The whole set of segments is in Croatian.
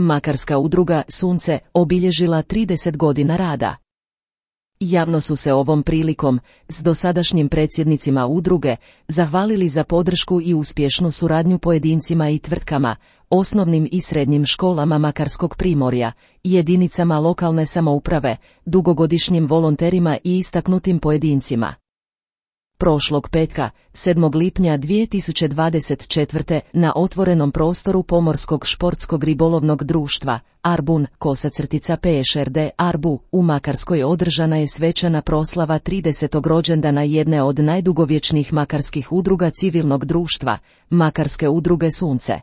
Makarska udruga Sunce obilježila 30 godina rada. Javno su se ovom prilikom, s dosadašnjim predsjednicima udruge, zahvalili za podršku i uspješnu suradnju pojedincima i tvrtkama, osnovnim i srednjim školama Makarskog primorja, jedinicama lokalne samouprave, dugogodišnjim volonterima i istaknutim pojedincima. Prošlog petka, 7. lipnja 2024. na otvorenom prostoru Pomorskog športskog ribolovnog društva, Arbun, _PŠRD Arbu, u Makarskoj održana je svečana proslava 30. rođendana jedne od najdugovječnijih makarskih udruga civilnog društva, Makarske udruge Sunce.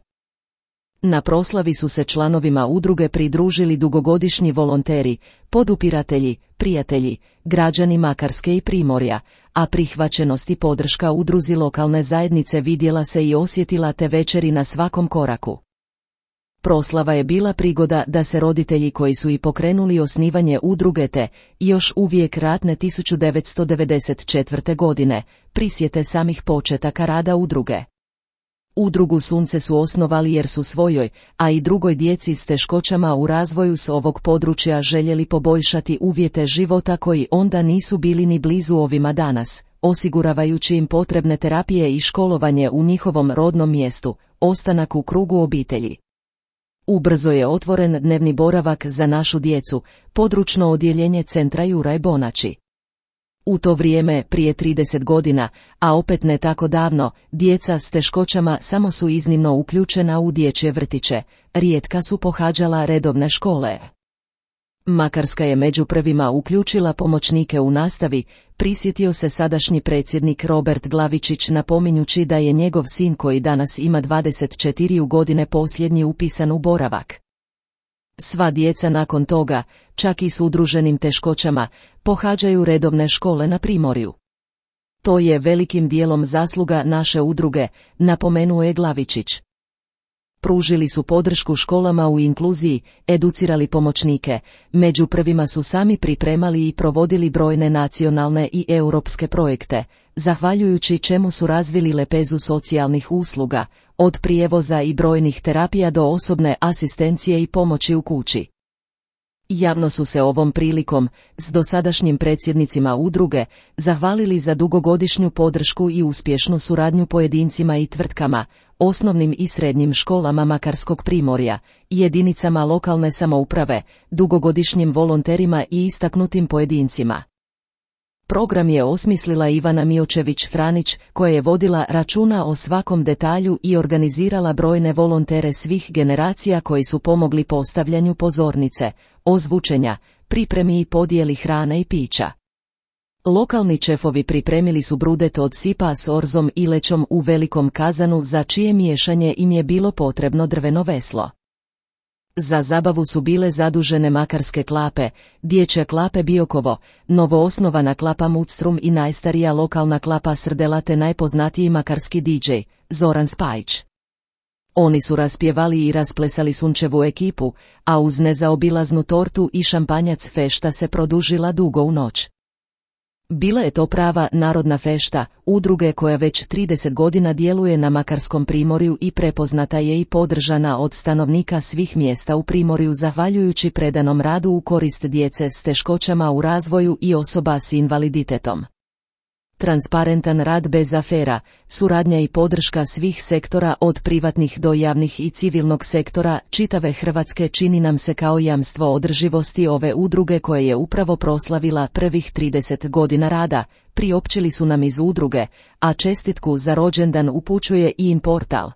Na proslavi su se članovima udruge pridružili dugogodišnji volonteri, podupiratelji, prijatelji, građani Makarske i Primorja, a prihvaćenost i podrška udruzi lokalne zajednice vidjela se i osjetila te večeri na svakom koraku. Proslava je bila prigoda da se roditelji koji su i pokrenuli osnivanje udruge te, još uvijek ratne 1994. godine, prisjete samih početaka rada udruge. Udrugu Sunce su osnovali jer su svojoj, a i drugoj djeci s teškoćama u razvoju s ovog područja željeli poboljšati uvjete života koji onda nisu bili ni blizu ovima danas, osiguravajući im potrebne terapije i školovanje u njihovom rodnom mjestu, ostanak u krugu obitelji. Ubrzo je otvoren dnevni boravak za našu djecu, područno odjeljenje centra Juraj Bonači. U to vrijeme, prije 30 godina, a opet ne tako davno, djeca s teškoćama samo su iznimno uključena u dječje vrtiće, rijetka su pohađala redovne škole. Makarska je među prvima uključila pomoćnike u nastavi, prisjetio se sadašnji predsjednik Robert Glavičić napominjući da je njegov sin koji danas ima 24 godine posljednji upisan u boravak. Sva djeca nakon toga, čak i s udruženim teškoćama, pohađaju redovne škole na Primorju. To je velikim dijelom zasluga naše udruge, napomenuo je Glavičić. Pružili su podršku školama u inkluziji, educirali pomoćnike, među prvima su sami pripremali i provodili brojne nacionalne i europske projekte, zahvaljujući čemu su razvili lepezu socijalnih usluga, od prijevoza i brojnih terapija do osobne asistencije i pomoći u kući. Javno su se ovom prilikom, s dosadašnjim predsjednicima udruge, zahvalili za dugogodišnju podršku i uspješnu suradnju pojedincima i tvrtkama, osnovnim i srednjim školama Makarskog primorja, jedinicama lokalne samouprave, dugogodišnjim volonterima i istaknutim pojedincima. Program je osmislila Ivana Miočević-Franić, koja je vodila računa o svakom detalju i organizirala brojne volontere svih generacija koji su pomogli postavljanju pozornice, ozvučenja, pripremi i podijeli hrane i pića. Lokalni šefovi pripremili su brudet od sipa s orzom i lećom u velikom kazanu za čije miješanje im je bilo potrebno drveno veslo. Za zabavu su bile zadužene makarske klape, dječja klape Biokovo, novoosnovana klapa Mudstrum i najstarija lokalna klapa Srdela te najpoznatiji makarski DJ, Zoran Spajić. Oni su raspjevali i rasplesali sunčevu ekipu, a uz nezaobilaznu tortu i šampanjac fešta se produžila dugo u noć. Bila je to prava narodna fešta, udruge koja već 30 godina djeluje na Makarskom primorju i prepoznata je i podržana od stanovnika svih mjesta u primorju zahvaljujući predanom radu u korist djece s teškoćama u razvoju i osoba s invaliditetom. Transparentan rad bez afera, suradnja i podrška svih sektora od privatnih do javnih i civilnog sektora čitave Hrvatske čini nam se kao jamstvo održivosti ove udruge koje je upravo proslavila prvih 30 godina rada, priopćili su nam iz udruge, a čestitku za rođendan upućuje i IN portal.